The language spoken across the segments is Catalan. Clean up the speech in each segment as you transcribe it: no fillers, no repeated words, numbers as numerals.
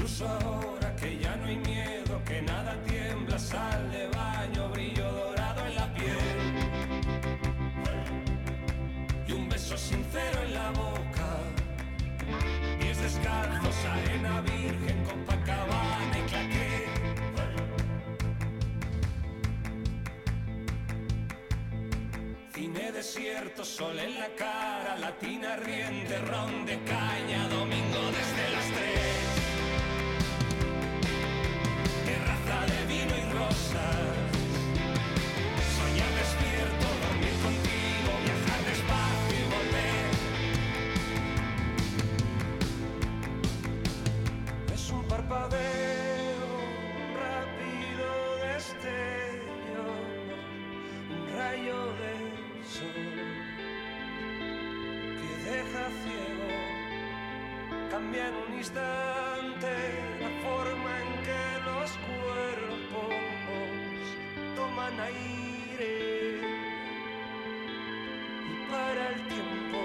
Incluso ahora que ya no hay miedo, que nada tiembla, sal de baño, brillo dorado en la piel y un beso sincero en la boca, pies descalzos, arena virgen, Copacabana y claqué. Cine desierto, sol en la cara, latina riente, ron de caña, domingo desde las 3. Terraza de vino y rosas, soñar despierto, dormir contigo, viajar despacio y volver. Es un parpadeo, un rápido destello, un rayo de sol que deja ciego, cambia en un instante la forma en que los cuerpos toman aire y para el tiempo.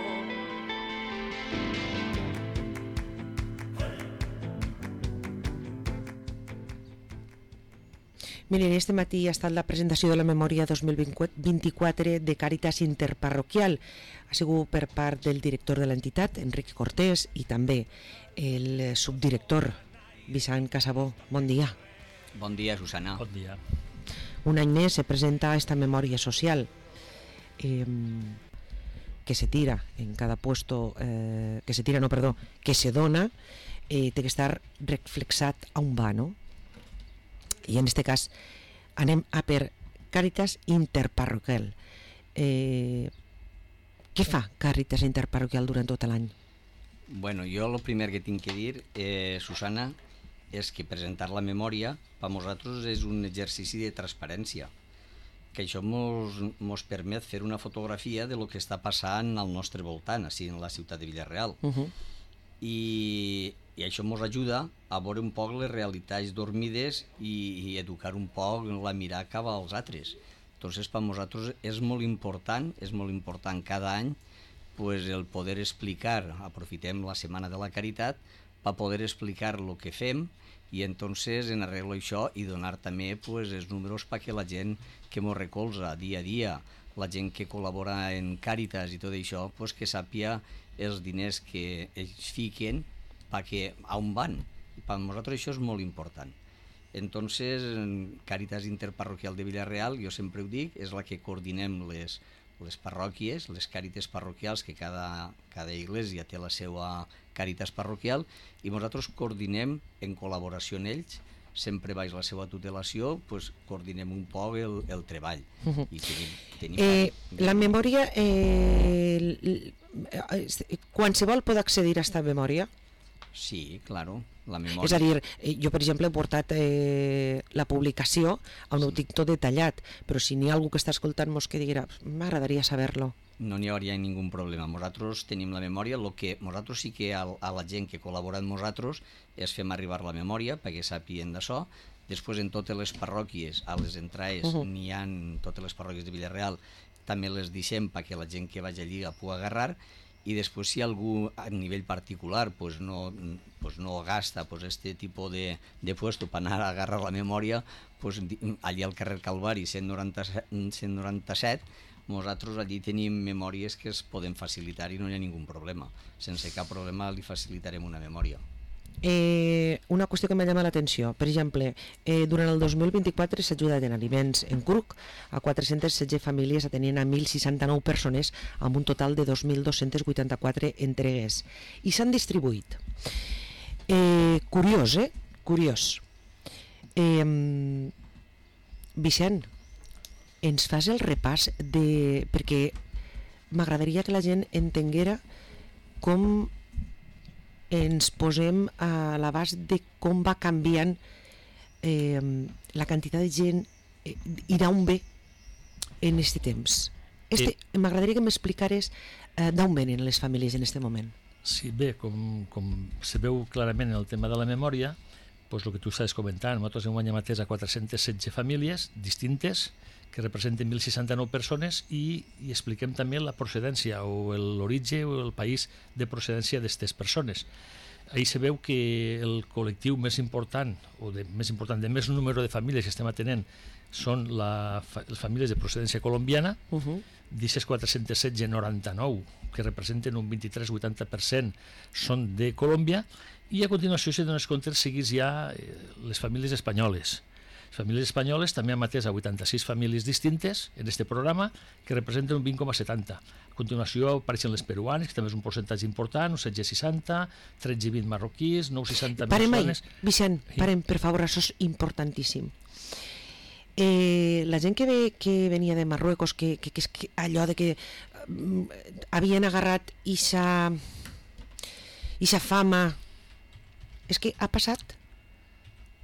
Miren, este matí ha estat la presentació de la memòria 2024 de Càritas Interparroquial. Ha sigut per part del director de l'entitat, Enric Cortés, i també el subdirector, Vicent Casabó. Bon dia. Bon dia, Susana. Bon dia. Un any més se presenta esta memòria social que se tira en cada puesto, que se dona, té que estar reflexat a on va, no? I en este cas anem a per Càritas Interparroquial. Què fa Càritas Interparroquial durant tot l'any? Bueno, jo el primer que tinc que dir, Susana, és que presentar la memòria per nosaltres és un exercici de transparència, que això mos permet fer una fotografia de lo que està passant al nostre voltant, així en la ciutat de Vila-real. I això ens ajuda a veure un poc les realitats dormides i educar un poc la mirar cap als altres. Entonces, per nosaltres és molt important cada any pues, el poder explicar, aprofitem la Setmana de la Caritat, per poder explicar el que fem i entonces en arreglo això i donar també pues, els números perquè la gent que ens recolza dia a dia, la gent que col·labora en Càritas i tot això, pues, que sàpia els diners que ells fiquen perquè a on van. Per nosaltres això és molt important. Entonces, Càritas Interparroquial de Vila-real, jo sempre ho dic, és la que coordinem les parròquies, les càrites parroquials, que cada església té la seva càritas parroquial, i nosaltres coordinem en col·laboració amb ells, sempre baix la seva tutelació, pues, coordinem un poc el treball. I tenim la memòria, qualsevol pot accedir a aquesta memòria? Sí, claro, la memòria. És a dir, jo per exemple he portat la publicació on ho tinc tot detallat, però si n'hi ha algú que està escoltant-nos que dirà, m'agradaria saber-lo. No n'hi hauria ningú problema. Nosaltres tenim la memòria, el que nosaltres sí que a la gent que col·labora amb nosaltres és fem arribar la memòria perquè sàpien d'això. Després en totes les parròquies, a les entrades, n'hi ha totes les parròquies de Vila-real, també les deixem perquè la gent que vagi allí la pugui agarrar. I després si algú a nivell particular pues no gasta pues este tipus de puesto per anar a agarrar la memòria, pues allí al carrer Calvari 197 nosaltres allí tenim memòries que es poden facilitar i no hi ha ningú problema. Sense cap problema li facilitarem una memòria. Una qüestió que m'ha llamat l'atenció, per exemple, durant el 2024 s'ha ajudat en aliments en cruc a 416 famílies atenent a 1.069 persones amb un total de 2.284 entregues i s'han distribuït. Curiós, Curiós. Vicent, ens fas el repàs perquè m'agradaria que la gent entenguera com ens posem a l'abast de com va canviant la quantitat de gent i d'on ve en aquest temps. M'agradaria que m'explicares d'on venen les famílies en aquest moment. Sí, bé, com se veu clarament en el tema de la memòria, doncs el que tu estaves comentant, nosaltres enguany hem atès a 416 famílies distintes que representen 1.069 persones i expliquem també la procedència o l'origen o el país de procedència d'aquestes persones. ahí se veu que el col·lectiu més important, de més número de famílies que estem atenent, són les famílies de procedència colombiana, d'aquestes 416, 99, que representen un 23-80%, són de Colòmbia, i a continuació, si dones compte, seguís ja les famílies espanyoles. Les famílies espanyoles també han atès a 86 famílies distintes en aquest programa, que representen un 20,70%. A continuació apareixen les peruanes, que també és un percentatge important, un 16,60, 13,20 marroquís, 9,60 veneçolanes. Vicent, parem, per favor, això és importantíssim. La gent que venia de Marruecos, que és allò de que havien agarrat ixa fama, és que ha passat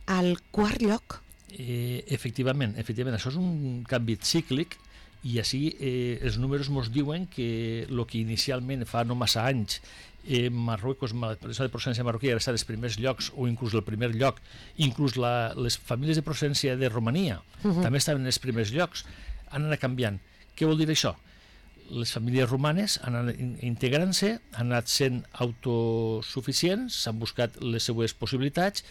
al quart lloc. Efectivament, això és un canvi cíclic, i així els números ens diuen que el que inicialment fa no massa anys Marruecos, la de procedència marroquí, era estar als primers llocs, o inclús el primer lloc, inclús les famílies de procedència de Romania també estaven en els primers llocs, han anat canviant. Què vol dir això? Les famílies romanes han anat integrant-se, han anat sent autosuficients, s'han buscat les seues possibilitats,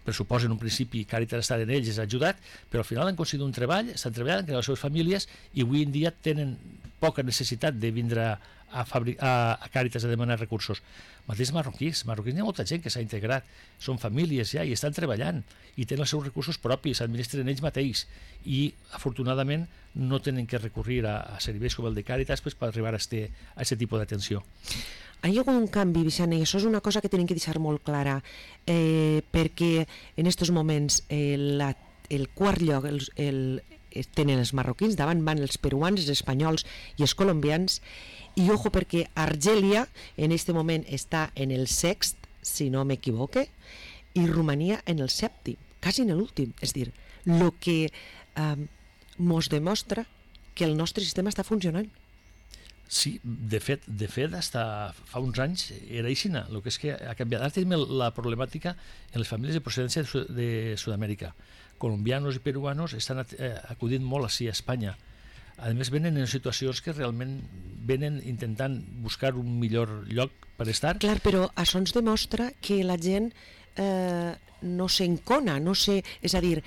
pressuposa en un principi Càritas estar en ells, ha ajudat, però al final han aconseguit un treball, estan treballant, creant les seves famílies, i avui en dia tenen poca necessitat de vindre a Càritas a demanar recursos. Mateix marroquís hi ha molta gent que s'ha integrat, són famílies ja i estan treballant i tenen els seus recursos propis, s'administren ells mateix i afortunadament no tenen que recurrir a serveis com el de Càritas per arribar a aquest tipus d'atenció. Hi ha hagut un canvi, Vicent, i això és una cosa que tenim que deixar molt clara, perquè en aquests moments el quart lloc tenen els marroquins, davant van els peruans, els espanyols i els colombians, i ojo perquè Argèlia en aquest moment està en el sext, si no m'equivoque, i Romania en el sèptim, quasi en l'últim. És dir, el que mos demostra que el nostre sistema està funcionant. Sí, de fet, hasta fa uns anys era així, el que és que ha canviat. Ara tenim la problemàtica en les famílies de procedència de Sud-amèrica. Colombianos i peruanos estan acudint molt així a Espanya. A més, venen en situacions que realment venen intentant buscar un millor lloc per estar. Clar, però això ens demostra que la gent no s'encona, és a dir,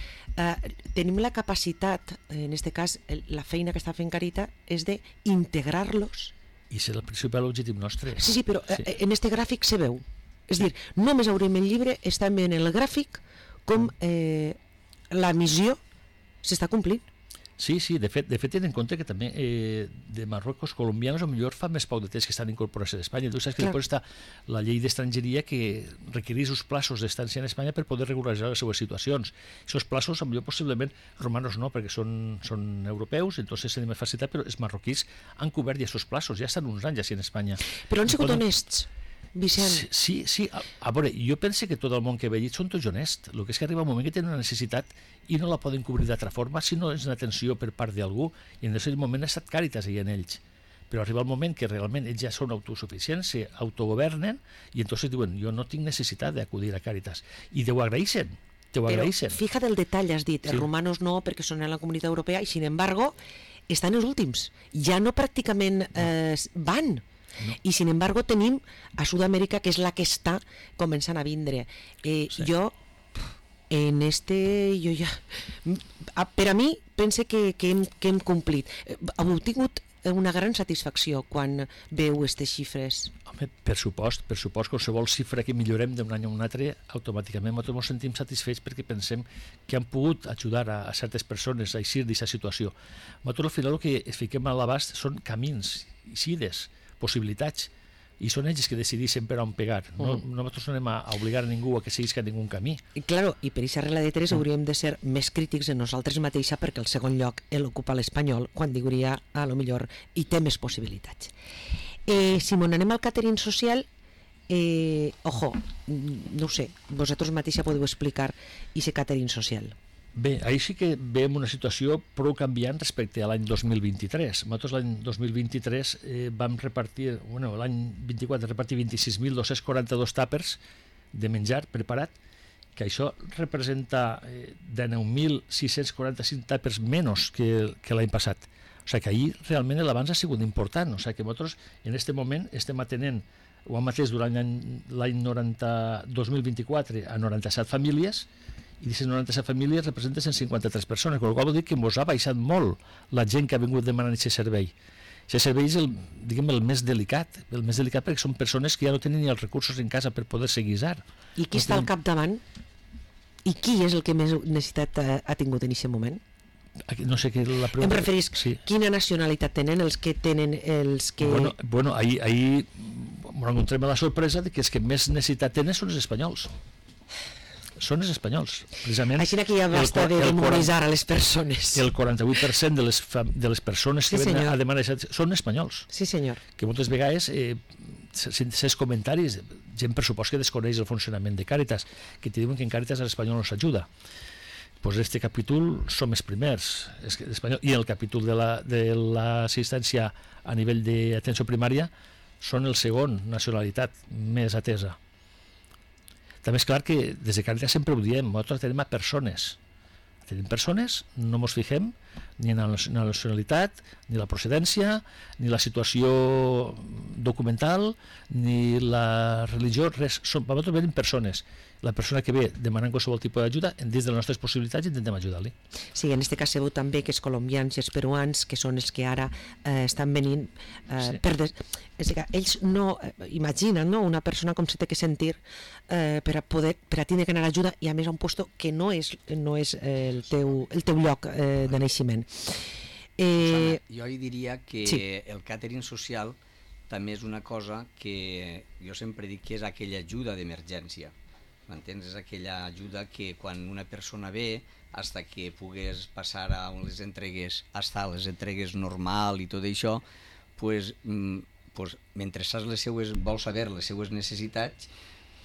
tenim la capacitat, en aquest cas la feina que està fent Càritas és d'integrar-los. I és el principal objectiu nostre. Sí, però en aquest gràfic se veu. És a dir, només obrim el llibre, estem veient el gràfic com la missió s'està complint. Sí, de fet, tenen en compte que també de Marruecos, colombianos, potser fa més poc de temps que estan incorporats a Espanya. Tu saps que després està la llei d'estrangeria que requereix uns plaços d'estància en Espanya per poder regularitzar les seues situacions. Aquests plaços, potser possiblement, romanos no, perquè són europeus, entonces tenen més facilitat, però els marroquís han cobert ja aquests plaços, ja estan uns anys així en Espanya. Però han sigut honests, Vicent. Sí. A veure, jo penso que tot el món que he veient són tots honests. El que és que arriba un moment que tenen una necessitat i no la poden cobrir d'altra forma si no és una atenció per part d'algú, i en aquest moment ha estat Càritas i en ells. Però arriba el moment que realment ells ja són autosuficients, s'autogovernen, i entonces diuen, jo no tinc necessitat d'acudir a Càritas. I ho agraeixen. Però fíjate el detall, has dit, els romanos no, perquè són en la Comunitat Europea, i sin embargo, estan els últims. Ja no pràcticament van. No. I sin embargo tenim a Sud-amèrica, que és la que està començant a vindre. Jo per a mi pense que hem complit. Heu tingut una gran satisfacció quan veu aquestes xifres? Home, per supost, qualsevol xifra que millorem d'un any a un altre, automàticament nosaltres ens sentim satisfets perquè pensem que han pogut ajudar a certes persones a eixir d'aquesta situació. Nosaltres al final el que es fiquem a l'abast són camins, eixides, possibilitats, i són ells que decideixen per on pegar. Nosaltres no anem a obligar a ningú a que seguisca ningú camí. I claro, i per aquesta regla de 3 hauríem de ser més crítics en nosaltres mateixa, perquè el segon lloc l'ocupa l'espanyol, quan diguria a lo millor hi té més possibilitats. Si m'on anem al catering social, ojo, no ho sé, vosaltres mateixa podeu explicar aquest catering social. Bé, ahir sí que veiem una situació prou canviant respecte a l'any 2023. Nosaltres l'any 2023 vam repartir, l'any 24 repartir 26.242 tàpers de menjar preparat, que això representa 19.645 tàpers menys que l'any passat. O sigui que ahir realment l'avanç ha sigut important. O sigui que nosaltres en aquest moment estem atenent ho han mateix durant l'any 2024 a 97 famílies, i aquestes 97 famílies representen 153 persones, amb la qual cosa vol dir que ens ha baixat molt la gent que ha vingut demanant aquest servei. Aquest servei és el més delicat perquè són persones que ja no tenen ni els recursos en casa per poder-se guisar. I qui està al capdavant? I qui és el que més necessitat ha tingut en aquest moment? No sé què la pregunta. Em referís, sí. Quina nacionalitat tenen els que tenen els que... Bueno, ahir ens encontrem a la sorpresa de que els que més necessitat tenen són els espanyols. Són els espanyols, precisament. Així que ja basta de demonitzar a les persones. El 48% de les persones que venen a demanar són espanyols. Sí, senyor. Que moltes vegades, sense comentaris, gent per supost que desconeix el funcionament de Càritas, que te diuen que en Càritas l'espanyol no s'ajuda. Pues este capítol som els primers, i el capítol de l'assistència a nivell d'atenció primària són el segon nacionalitat més atesa. També és clar que des de Càritas sempre ho diem, nosaltres tenim a persones. Tenim persones, no ens fixem ni en la nacionalitat, ni la procedència, ni la situació documental, ni la religió, res. Nosaltres venim persones. La persona que ve demanant qualsevol tipus d'ajuda, dins de les nostres possibilitats intentem ajudar-li. Sí, en aquest cas sabeu també que els colombians i els peruans, que són els que ara estan venint, és que ells no imaginen, no, una persona com se té que sentir per a tindre que anar a ajuda, i a més a un lloc que no és el teu lloc de naixement. Susana, jo diria que el càtering social també és una cosa que jo sempre dic que és aquella ajuda d'emergència. M'entens? És aquella ajuda que quan una persona ve, hasta que pugues passar a les entregues, hasta les entregues normal i tot això, mentre saps vols saber les seues necessitats,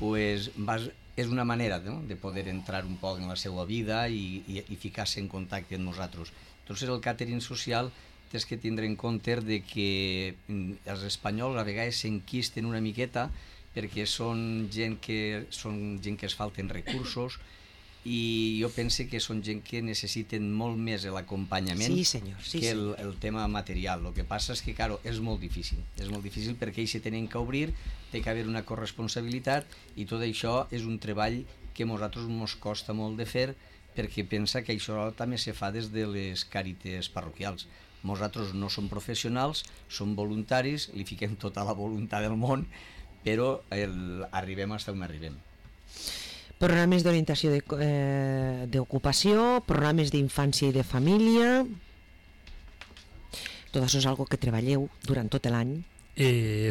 és una manera de poder entrar un poc en la seva vida i ficar-se en contacte amb nosaltres. Entonces el càtering social tens que tindre en compte de que els espanyols a vegades s'enquisten una miqueta perquè són gent que es falten recursos, i jo penso que són gent que necessiten molt més l'acompanyament que el tema material. El que passa és que, claro, és molt difícil perquè ells se tenen que obrir, té que haver una corresponsabilitat, i tot això és un treball que a nosaltres ens costa molt de fer, perquè pensa que això també se fa des de les càrites parroquials. Nosaltres no som professionals, som voluntaris, li fiquem tota la voluntat del món, però arribem fins on arribem. Programes d'orientació d'ocupació, programes d'infància i de família, tot això és algo que treballeu durant tot l'any.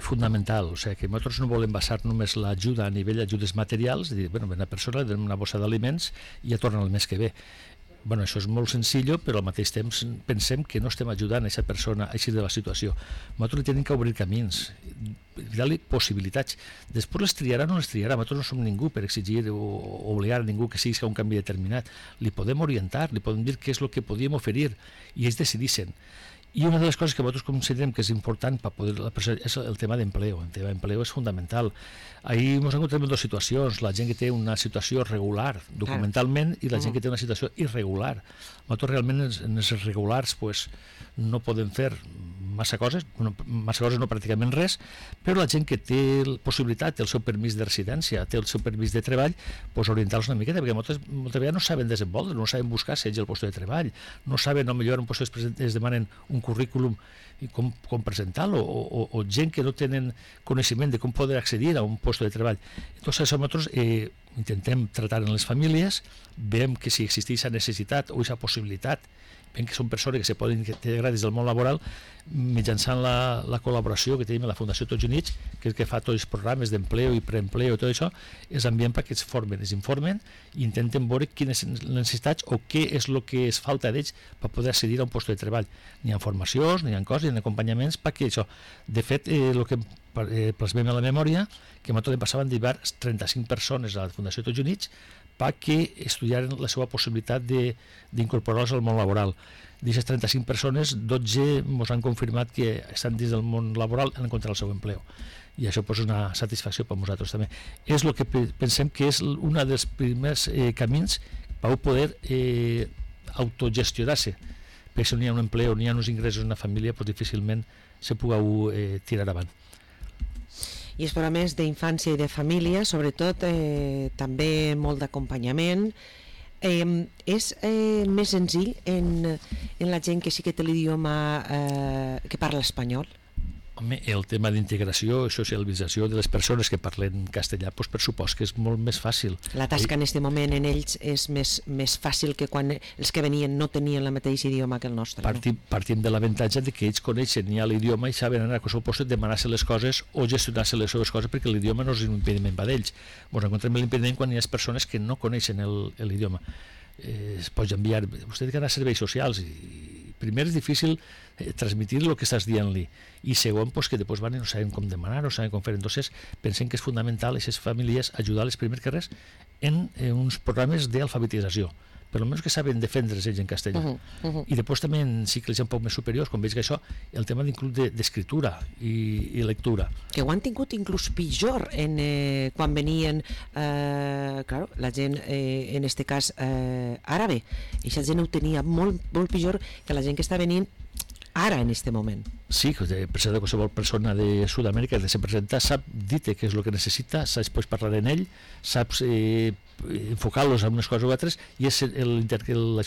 Fundamental, o sigui que nosaltres no volem basar només l'ajuda a nivell d'ajudes materials, dir, bueno, una persona li donem una bossa d'aliments i ja torna el mes que ve. Bueno, això és molt senzill, però al mateix temps pensem que no estem ajudant a aquesta persona a eixir de la situació. Nosaltres li tenim que obrir camins, dar-li possibilitats. Després les triarà o no les triarà. Nosaltres no som ningú per exigir o obligar a ningú que sigui un canvi determinat. Li podem orientar, li podem dir què és el que podíem oferir, i ells decidissin. I una de les coses que nosaltres considerem que és important per poder és el tema d'empleo. El tema d'empleo és fundamental. Ahir ens encontrem en dues situacions, la gent que té una situació regular documentalment i la gent que té una situació irregular. Nosaltres realment en els regulars no podem fer massa coses no pràcticament res, però la gent que té possibilitat, té el seu permís de residència, té el seu permís de treball, orientar-los una miqueta, perquè moltes vegades no saben desenvolupar, no saben buscar si el lloc de treball, no saben, potser es demanen un currículum i com presentar-lo, o gent que no tenen coneixement de com poder accedir a un lloc de treball. Entonces, això nosaltres intentem tratar en les famílies, veiem que si existeix aquesta necessitat o aquesta possibilitat, veiem que són persones que se poden integrar des del món laboral mitjançant la col·laboració que tenim a la Fundació Tots Units, que és que fa tots els programes d'empleo i preempleo i tot això, és enviem perquè es informen i intenten veure quines les necessitats o què és el que es falta d'ells per poder accedir a un lloc de treball. N'hi ha formacions, n'hi ha coses, n'hi ha acompanyaments perquè això. De fet, el que plasmem a la memòria, que nosaltres passaven d'hiver 35 persones a la Fundació Tots Units perquè estudiaren la seva possibilitat d'incorporar-los al món laboral. D'aquestes 35 persones, 12 ens han confirmat que estan dins del món laboral i han encontrat el seu empleo. I això és una satisfacció per a nosaltres també. És el que pensem que és un dels primers camins per poder autogestionar-se. Perquè si no hi ha un empleo, ni hi ha uns ingressos en una família, difícilment se puga tirar avant. I els programes d'infància i de família, sobretot, també molt d'acompanyament. És més senzill en la gent que sí que té l'idioma que parla espanyol? Home, el tema d'integració i socialització de les persones que parlen castellà, doncs per supost que és molt més fàcil. La tasca en aquest moment en ells és més fàcil que quan els que venien no tenien el mateix idioma que el nostre. Partim de l'avantatge de que ells coneixen ja l'idioma i saben anar a qualsevol lloc, demanar-se les coses o gestionar-se les seves coses, perquè l'idioma no és un impediment per ells. Ens encontrem l'impediment quan hi ha persones que no coneixen l'idioma. Es pot enviar, vostè té que anar a serveis socials i primer és difícil transmitir el que estàs dient-li i segon, pues, que després van i no saben com demanar, no saben com fer. Entonces pensem que és fundamental a aquestes famílies ajudar-les primer que res en uns programes d'alfabetització, per almenys que saben defendre's ells en castellà. I després també en cicles un poc més superiors, com veig que això, el tema d'inclús d'escriptura i lectura. Que ho han tingut inclús pitjor quan venien, claro, la gent, en este cas àrabe, i aquesta gent ho tenia molt, molt pitjor que la gent que està venint ara en este moment. Sí, qualsevol persona de Sud-amèrica que se presenta sap dir-te què és el que necessita, saps pots parlar en ell, saps enfocar-los en unes coses o altres, i això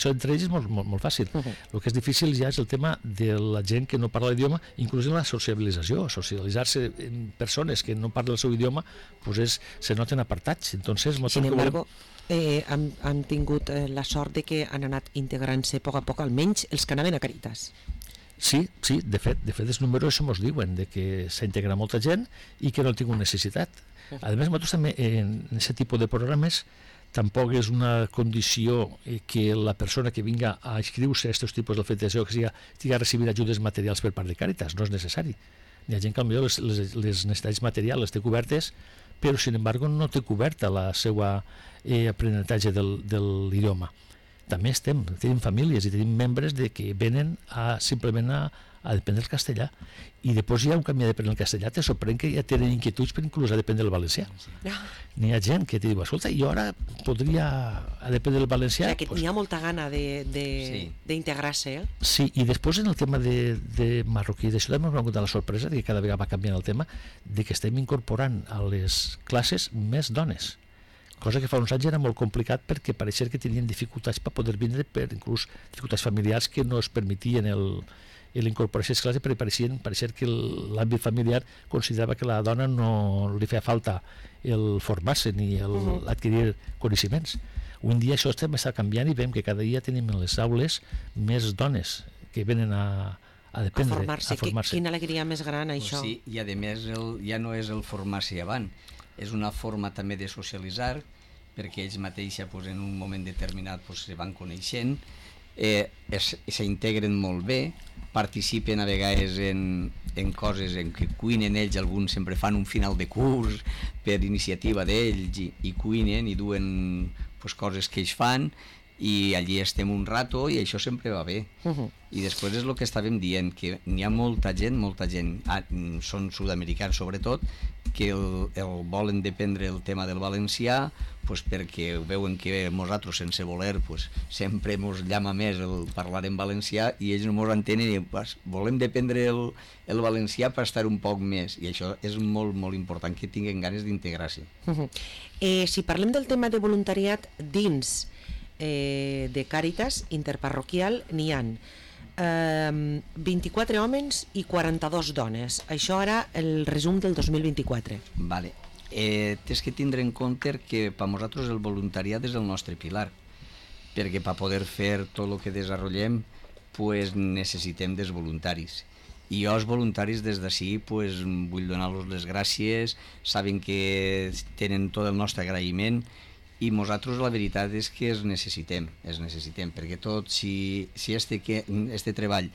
entre ells és molt fàcil. El que és difícil ja és el tema de la gent que no parla l'idioma, inclús en la socialització. Socialitzar-se amb persones que no parlen el seu idioma pues se noten apartats. Entonces, sin embargo, han tingut la sort de que han anat integrant-se a poc, almenys els que anaven a Càritas. Sí, de fet els números això ens diuen de que s'ha integrat molta gent i que no ha tingut necessitat. A més, nosaltres també en aquest tipus de programes tampoc és una condició que la persona que vinga a inscriure-se a aquests tipus d'alfabetització que estigui a recibir ajudes materials per part de Càritas, no és necessari. Hi ha gent que potser les necessitats materials les té cobertes, però sin embargo no té coberta la seva aprenentatge de l'idioma. També tenim famílies i tenim membres que venen simplement a aprendre el castellà, i després hi ha un canvi d'aprendre el castellà, te sorprèn que ja tenen inquietuds per inclús aprendre el valencià. N'hi ha gent que te diu, escolta, jo ara podria aprendre el valencià. O sigui, que hi ha molta gana d'integrar-se. Sí, i després en el tema de marroquí, d'això també m'ha acontat la sorpresa que cada vegada va canviant el tema, de que estem incorporant a les classes més dones, cosa que fa uns anys era molt complicat perquè pareixia que tenien dificultats per poder vindre, per inclús dificultats familiars que no es permetien l'incorporació a les classes, perquè pareixia que l'àmbit familiar considerava que a la dona no li feia falta el formar-se ni adquirir coneixements. Avui en dia això està canviant i veiem que cada dia tenim en les aules més dones que venen a formar-se. Quina alegria més gran, això. Sí, i a més ja no és el formar-se avant, és una forma també de socialitzar, perquè ells mateixos en un moment determinat se van coneixent, s'integren molt bé, participen a vegades en coses en què cuinen ells, alguns sempre fan un final de curs per iniciativa d'ells i cuinen i duen coses que ells fan, i allí estem un rato i això sempre va bé. I després és el que estàvem dient, que n'hi ha molta gent, són sud-americans sobretot, que el volen dependre el tema del valencià perquè veuen que nosaltres sense voler sempre ens llama més el parlar en valencià i ells no ens entenen i volem dependre el valencià per estar un poc més, i això és molt, molt important, que tinguin ganes d'integrar-se. Si parlem del tema de voluntariat dins de Càritas interparroquial, n'hi ha 24 homes i 42 dones. Això ara el resum del 2024. Vale. Tens que tindre en compte que per nosaltres el voluntariat és el nostre pilar, perquè per poder fer tot el que desenvolupem necessitem dels voluntaris. I jo els voluntaris des d'ací vull donar-los les gràcies, saben que tenen tot el nostre agraïment, i nosaltres la veritat és que els necessitem, perquè tot, si este treball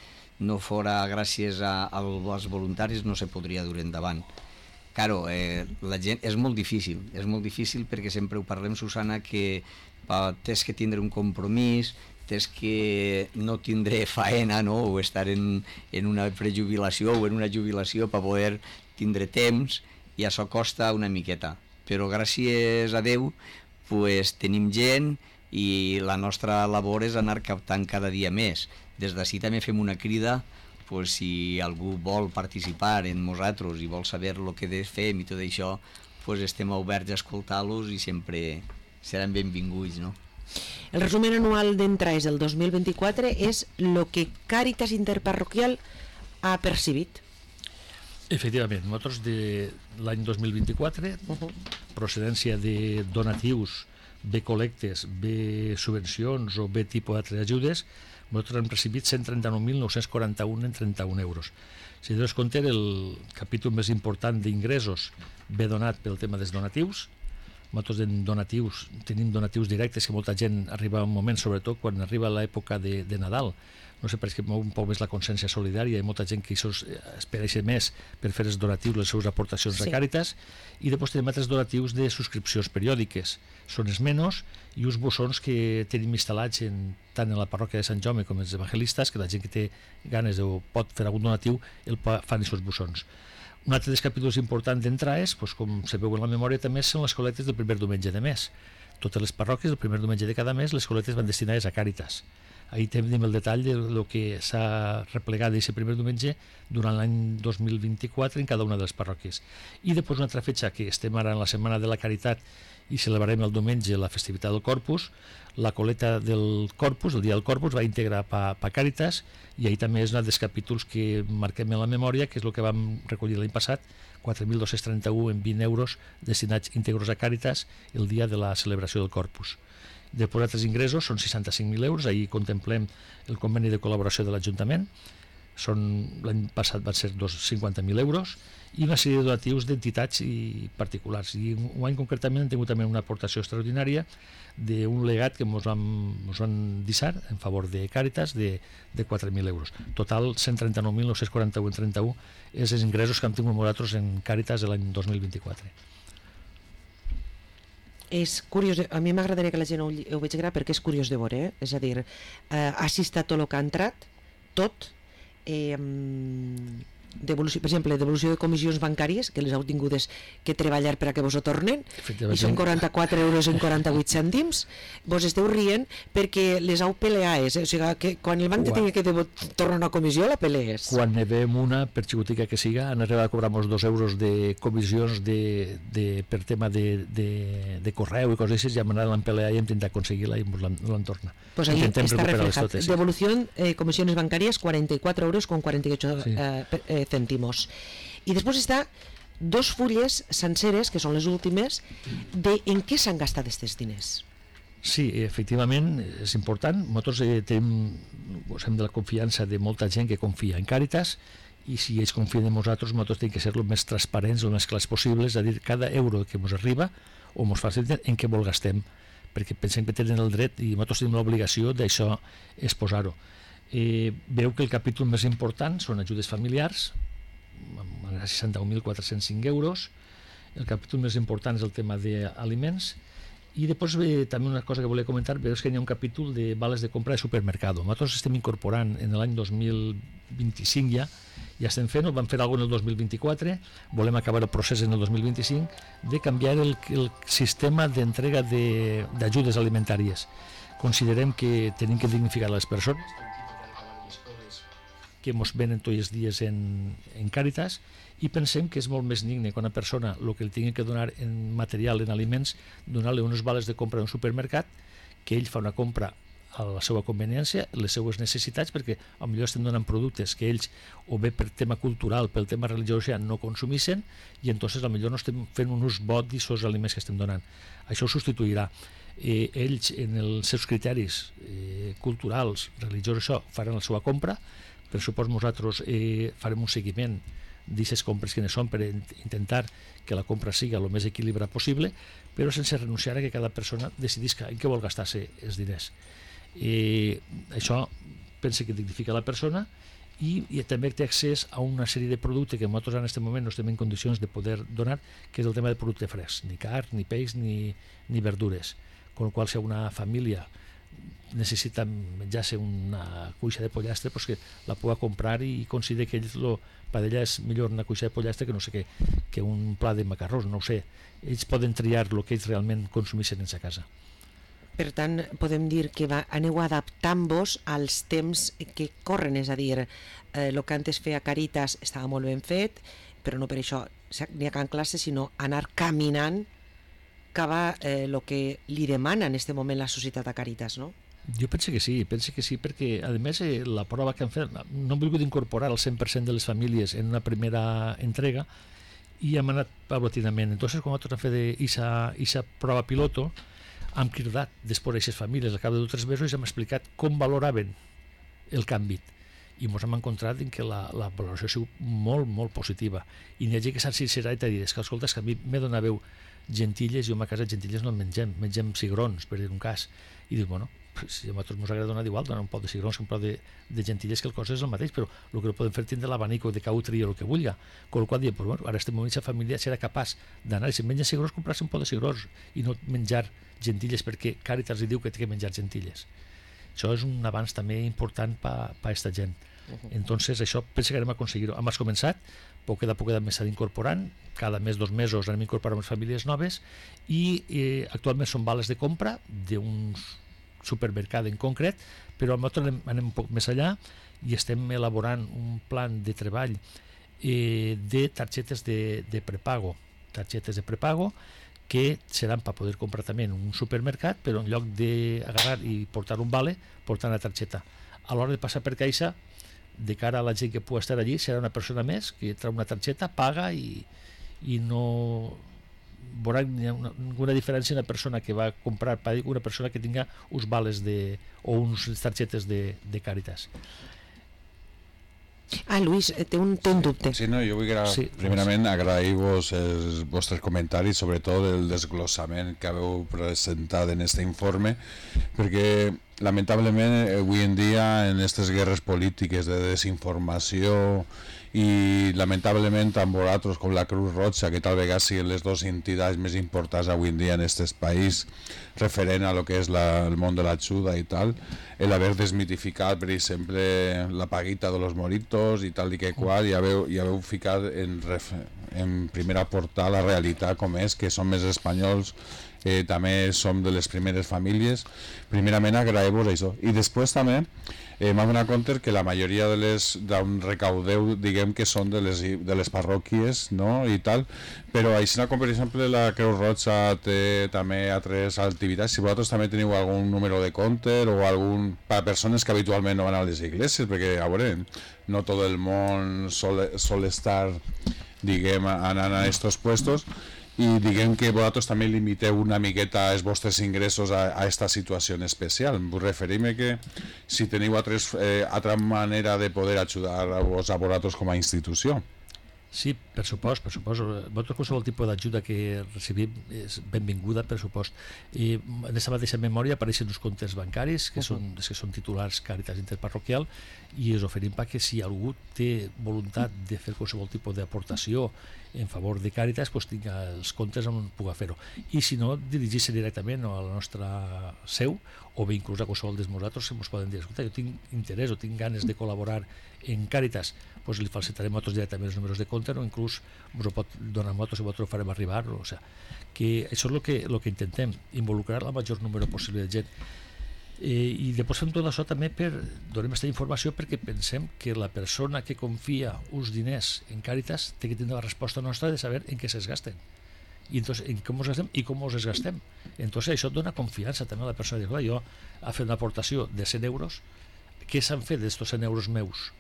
no fora gràcies als voluntaris no se podria dur endavant. Claro, la gent és molt difícil perquè sempre ho parlem, Susana, que tens que tindre un compromís, tens que no tindre faena, no? O estar en una prejubilació o en una jubilació per poder tindre temps, i això costa una miqueta, però gràcies a Déu tenim gent i la nostra labor és anar captant cada dia més. Des d'ací també fem una crida pues, si algú vol participar en nosaltres i vol saber el que fem i tot això, pues, estem oberts a escoltar-los i sempre seran benvinguts, no? El resumen anual d'entrades del 2024 és el que Càritas Interparroquial ha percibit. Efectivament, nosaltres de l'any 2024, procedència de donatius, bé col·lectes, bé subvencions o bé tipus d'altres ajudes, nosaltres hem recibit 139.941 en 31 euros. Si tens compte, el capítol més important d'ingressos ve donat pel tema dels donatius. Nosaltres en donatius tenim donatius directes, que molta gent arriba a un moment, sobretot quan arriba l'època de Nadal. No sé, perquè mou un poc més la consciència solidària, hi ha molta gent que espera més per fer els donatius, les seves aportacions a Càritas, i després tenim altres donatius de subscripcions periòdiques. Són els menys i uns bossons que tenim instal·lats tant en la parròquia de Sant Jaume com els evangelistes, que la gent que té ganes o pot fer algun donatiu fan aquests bossons. Un altre dels capítols importants d'entrades, com se veu en la memòria, també són les col·lectes del primer diumenge de mes. Totes les parròquies, el primer diumenge de cada mes, les col·lectes van destinades a Càritas. Ahí tenim el detall del que s'ha replegat d'aquest primer diumenge durant l'any 2024 en cada una de les parròquies. I després una altra fetge, que estem ara en la Setmana de la Caritat i celebrarem el diumenge la festivitat del Corpus, la col·lecta del Corpus, el dia del Corpus, va integrar pa Càritas, i ahir també és un dels capítols que marquem en la memòria, que és el que vam recollir l'any passat, 4.231 en 20 euros destinats íntegros a Càritas el dia de la celebració del Corpus. Després altres ingressos són 65.000 euros, ahir contemplem el conveni de col·laboració de l'Ajuntament, l'any passat van ser 50.000 euros, i una sèrie de donatius d'entitats i particulars. I un any concretament hem tingut també una aportació extraordinària d'un legat que ens van deixar en favor de Càritas de 4.000 euros. Total, 139.941 en 31 és els ingressos que hem tingut nosaltres en Càritas l'any 2024. És curiós, a mi m'agradaria que la gent ho vegi perquè és curiós de veure, és a dir, assista tot el que ha entrat, tot, per exemple, devolució de comissions bancàries, que les heu tingudes que treballar per a que vos ho tornen, i són 44 euros en 48 cèntims. Vos esteu rient perquè les heu peleades, o sigui, que quan el banc te tingui que tornar una comissió, la pelees. Quan ne veiem una, per xicotica que siga, han arribat a cobrar-nos 2 euros de comissions per tema de correu i coses així, ja hem anat a l'empelear i hem intentat aconseguir-la i ens l'han tornat. Pues ahí está reflejado. Devolución, comisiones bancarias, 44 euros con 48 cèntimos. I després està 2 fulles senceres, que són les últimes, de en què s'han gastat aquests diners. Sí, efectivament, és important. Nosaltres gosem de la confiança de molta gent que confia en Càritas, i si ells confien en nosaltres tenim que ser el més transparents, el més clars possible, és a dir, cada euro que ens arriba o ens faciliten, en què vol gastem, perquè pensem que tenen el dret i nosaltres tenim l'obligació d'això exposar-ho. Veu que el capítol més important són ajudes familiars, amb 61.405 euros. El capítol més important és el tema d'aliments, i després també una cosa que volia comentar, veus que hi ha un capítol de vales de compra de supermercado. Nosaltres estem incorporant en l'any 2025 ja estem fent, ho vam fer alguna en el 2024, volem acabar el procés en el 2025 de canviar el sistema d'entrega d'ajudes alimentàries. Considerem que tenim que dignificar les persones que ens venen tots els dies en Càritas, i pensem que és molt més digne que una persona el que li tingui que donar en material, en aliments, donar-li unes vales de compra en un supermercat, que ell fa una compra a la seva conveniència, les seues necessitats, perquè potser estem donant productes que ells, o bé per tema cultural, pel tema religiós, ja no consumissin, i entonces potser no estem fent un ús bo d'aquests aliments que estem donant. Això ho substituirà. Ells, en els seus criteris culturals, religiosos, això, faran la seva compra. Per supost, nosaltres farem un seguiment d'aquestes compres quines són per intentar que la compra sigui el més equilibrat possible, però sense renunciar a que cada persona decidisca en què vol gastar-se els diners. Això pensa que dignifica la persona, i també té accés a una sèrie de productes que nosaltres en aquest moment no estem en condicions de poder donar, que és el tema de producte fresc, ni carn, ni peix, ni verdures. Con el qual, si una família necessita menjar-se una cuixa de pollastre, pues que la pugui comprar i considera que per ella és millor una cuixa de pollastre que no sé què, que un pla de macarrons, no ho sé. Ells poden triar el que ells realment consumissin en sa casa. Per tant, podem dir que aneu adaptant-vos als temps que corren, és a dir, el que antes feia Càritas estava molt ben fet, però no per això n'hi ha classe, sinó anar caminant cap a el que li demana en aquest moment la societat a Càritas, no? Jo penso que sí, perquè a més la prova que han fet, no hem volgut incorporar el 100% de les famílies en una primera entrega i hem anat paulatinament. Entonces, quan nosaltres hem fet aquesta prova piloto, hem cridat després d'aquestes famílies al cap de 2 o 3 mesos i hem explicat com valoraven el canvi i ens hem encontrat en que la valoració ha sigut molt, molt positiva i n'hi ha gent que s'han sincerat i t'ha dit que escolta, és que a mi me donàveu gentilles i jo a casa gentilles no en mengem cigrons, per dir un cas, i dius, bueno, si a nosaltres ens agrada donar igual, donar un pot de cigrons que un pot de gentilles, que el cost és el mateix, però el que no podem fer és tindre l'abanico de cautri o el que vulgui, amb la qual diem, pues, bueno, ara estem en aquesta família serà capaç d'anar i si menja cigrons, comprar-se un pot de cigrons i no menjar gentilles perquè Càritas li diu que té que menjar gentilles. Això és un avanç també important per a aquesta gent. Entonces això penso que anem a aconseguir-ho. Hem començat, poquet a poquet més s'ha incorporant, cada mes, 2 mesos anem incorporant unes famílies noves i actualment són vales de compra d'un supermercat en concret, però nosaltres anem un poc més allà i estem elaborant un plan de treball de targetes de prepago, que seran per poder comprar també en un supermercat, però en lloc d'agarrar i portar un vale, portar una targeta. A l'hora de passar per caixa, de cara a la gent que pugui estar allí, serà una persona més que trau una targeta, paga i no veurà ninguna diferència una persona que va comprar per una persona que tinga uns vales o uns targetes de Càritas. Luis, té un dubte. Sí, no, jo vull primerament agrair-vos els vostres comentaris, sobretot el desglossament que haveu presentat en aquest informe, perquè lamentablement avui en dia en aquestes guerres polítiques de desinformació i lamentablement tant vosaltres com la Cruz Roja, que tal vegada siguin les dues entitats més importants avui en dia en aquest país referent a lo que és el món de l'ajuda i tal, el haver desmitificat per exemple la paguita de los moritos i tal i que qual, i haveu ficat en primera portada la realitat com és, que som més espanyols, també som de les primeres famílies. Primerament agrair-vos això, i després també m'ha donat compte que la majoria d'on recaudeu, diguem que són de les parròquies, no? I tal, però així com per exemple la Creu Roja té també altres activitats, si vosaltres també teniu algun número de compte o algun per a persones que habitualment no van a les iglesias, perquè a veure, no tot el món sol estar, diguem, anant a estos puestos, i diguem que vosaltres també limiteu una miqueta els vostres ingressos a aquesta situació especial. Vull referir-me que si teniu altra manera de poder ajudar-vos a vosaltres com a institució. Sí, per supost. Vosaltres qualsevol tipus d'ajuda que recibim és benvinguda, per supost. I en aquesta mateixa memòria apareixen uns comptes bancaris que són titulars Càritas Interparroquial i us oferim que si algú té voluntat de fer qualsevol tipus d'aportació en favor de Càritas, doncs tinga els comptes on pugui fer-ho. I si no, dirigir-se directament a la nostra seu o bé inclús a qualsevol dels nosaltres que ens poden dir, escolta, jo tinc interès o tinc ganes de col·laborar en Càritas, doncs li facilitarem nosaltres directament els números de compte o inclús ens ho pot donar a nosaltres i nosaltres ho farem arribar. O sigui, que això és el que intentem, involucrar el major número possible de gent. I després fem tot això també donem aquesta informació perquè pensem que la persona que confia uns diners en Càritas té que tindre la resposta nostra de saber en què es gasten i entonces, en com els gastem i com els gastem. Entonces això dona confiança també a la persona de dir, jo ha fet una aportació de 100 euros, què s'han fet d'estos 100 euros meus?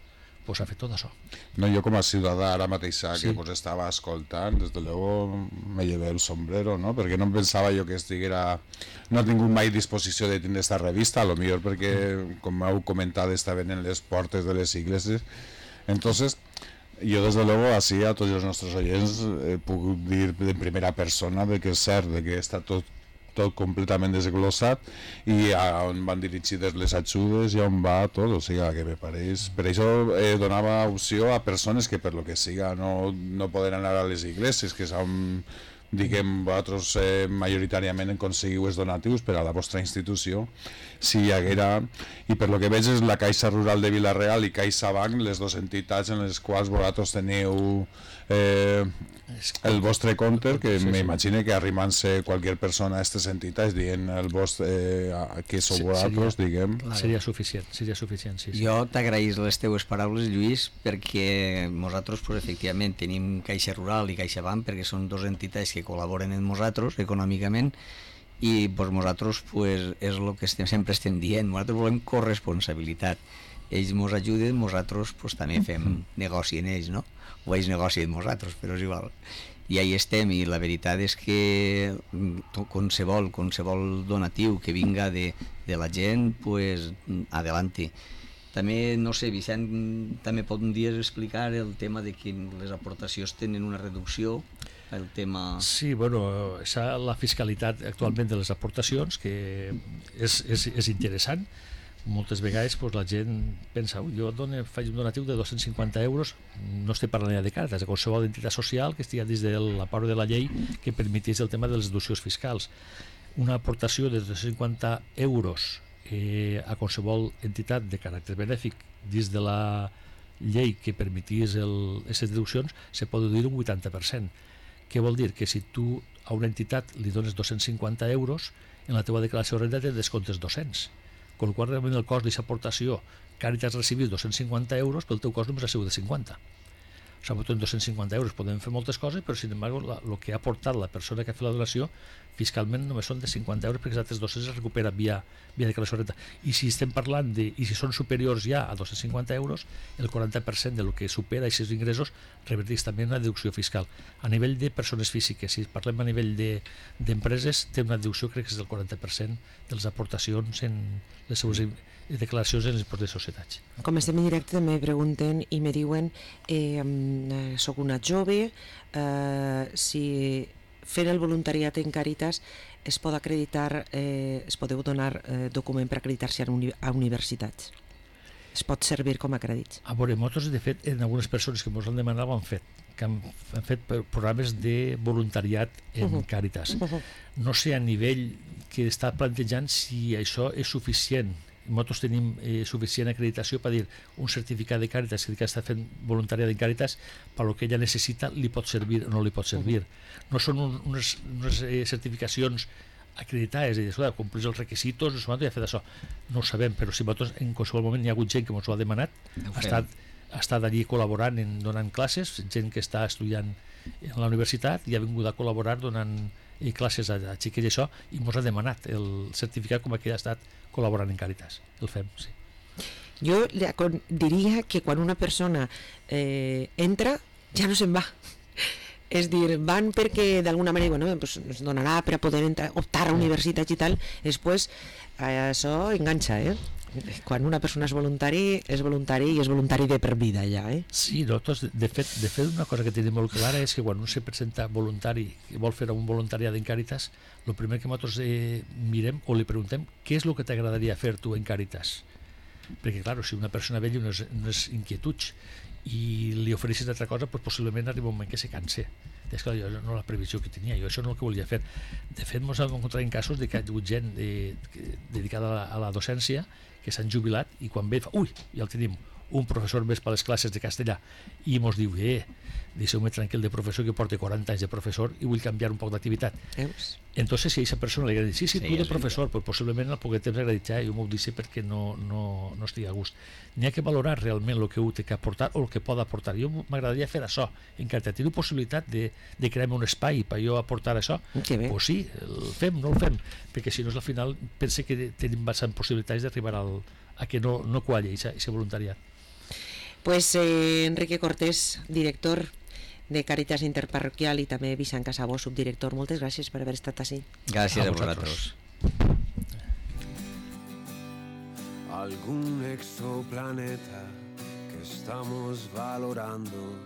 Pues ha fet tot això. No, jo com a ciutadà ara mateix que vos estava escoltant, des de luego me llevé el sombrero, no? Perquè no em pensava jo que no he tingut mai disposició de tindre esta revista, a lo millor perquè, com heu comentat, estaven en les portes de les iglesias. Entonces, jo des de luego així a tots els nostres oients puc dir en primera persona de que és cert, de que està tot completament desglossat i a on van dirigides les ajudes i on va tot, o sigui que me pareix. Per això donava opció a persones que per lo que siga no poden anar a les iglesias, que són diguem, vosaltres majoritàriament aconseguiu els donatius per a la vostra institució, si hi haguera, i per lo que veig és la Caixa Rural de Vila-real i CaixaBank, les dues entitats en les quals vosaltres teniu el vostre compte, que m'imagino que arrimant-se qualsevol persona a aquestes entitats dient el vostre, que sou vosaltres, diguem. Seria suficient, sí. Jo t'agraïs les teues paraules, Lluís, perquè nosaltres, pues, efectivament, tenim Caixa Rural i CaixaBank, perquè són dues entitats que col·laboren amb nosaltres econòmicament, i pues, nosaltres pues, és el que sempre estem dient, nosaltres volem corresponsabilitat. Ells ens ajuden, nosaltres pues, també fem negoci en ells, no? O ells negoci amb nosaltres, però és igual. I ahí estem, i la veritat és que qualsevol donatiu que vinga de la gent, pues, adelante. També, no sé, Vicent, també podries explicar el tema de que les aportacions tenen una reducció, el tema... Sí, bueno, la fiscalitat actualment de les aportacions, que és interessant. Moltes vegades pues, la gent pensa, jo faig un donatiu de 250 euros, no estic parlant ja de Càritas, de qualsevol entitat social que estigui dins de la part de la llei que permetís el tema de les deduccions fiscals. Una aportació de 250 euros a qualsevol entitat de caràcter benèfic dins de la llei que permetís aquestes deduccions se pot deduir un 80%. Què vol dir? Que si tu a una entitat li dones 250 euros, en la teva declaració de renda te descomptes 200. Con el qual realment el cost d'aquesta aportació Càritas recibís 250 euros, però el teu cost només ha sigut de 50. O sigui, amb 250 euros podem fer moltes coses, però sin embargo el que ha aportat la persona que ha fet la donació fiscalment només són de 50 euros, perquè els altres 200 es recupera via declaració de renda. I si estem parlant i si són superiors ja a 250 euros, el 40% del que supera aquests ingressos reverteix també una deducció fiscal. A nivell de persones físiques, si parlem a nivell d'empreses, té una deducció, crec que és del 40% de les aportacions en les seves declaracions en l'impost de societats. Com estem en directe també pregunten i me diuen soc una jove, si fent el voluntariat en Càritas es pot acreditar, es podeu donar document per acreditar-se a universitats, es pot servir com a crèdits. A veure, nosaltres de fet en algunes persones que ens han demanat ho han fet, que han fet programes de voluntariat en Càritas. No sé a nivell que està plantejant si això és suficient. Nosaltres tenim suficient acreditació per dir un certificat de Càritas que està fent voluntariat en Càritas, per el que ella necessita li pot servir o no li pot servir. No són unes certificacions acreditades, és a dir, complir els requisits, no sé, ja ha fet això. No ho sabem, però si nosaltres en qualsevol moment hi ha hagut gent que ens ho ha demanat, ha estat allí col·laborant, donant classes, gent que està estudiant en la universitat i ha vingut a col·laborar donant classes a xiquets i això, i ens ha demanat el certificat com que ha estat col·laborant en Càritas. El fem, sí. Jo diria que quan una persona entra ja no se'n va. És dir, van perquè d'alguna manera pues, ens donarà per a poder optar a universitats i tal, després això enganxa, quan una persona és voluntari i és voluntari de per vida ja, Sí, nosaltres, de fet una cosa que tenim molt clara és que quan un se presenta voluntari i vol fer un voluntariat en Càritas, el primer que nosaltres mirem o li preguntem què és el que t'agradaria fer tu en Càritas, perquè clar, si una persona ve unes inquietuds i li ofereixes altra cosa, pues, possiblement arriba un moment que se canse. És clar, jo no la previsió que tenia, jo això no és el que volia fer. De fet, ens hem encontrat en casos de que hi ha hagut gent dedicada a la docència que s'han jubilat i quan ve fa, ja el tenim, un professor més per les classes de castellà, i ens diu, deixeu-me tranquil de professor, que porta 40 anys de professor i vull canviar un poc d'activitat. Entonces, si a aquesta persona li agrada dir, sí, tu de professor, pues, possiblement el poc de temps agraditjar, jo m'ho dic perquè no estigui a gust. N'hi ha que valorar realment el que ho té que aportar o el que pot aportar. Jo m'agradaria fer això, encara tinc possibilitat de crear-me un espai per jo aportar això, pues sí, el fem, no el fem, perquè si no, al final pense que tenim bastant possibilitats d'arribar a que no qualli aquest voluntariat. Pues Enrique Cortés, director de Càritas Interparroquial, i també Vicent Casabó, subdirector, moltes gràcies per haver estat així. Gràcies a vosaltres. Algún exoplaneta que estamos valorando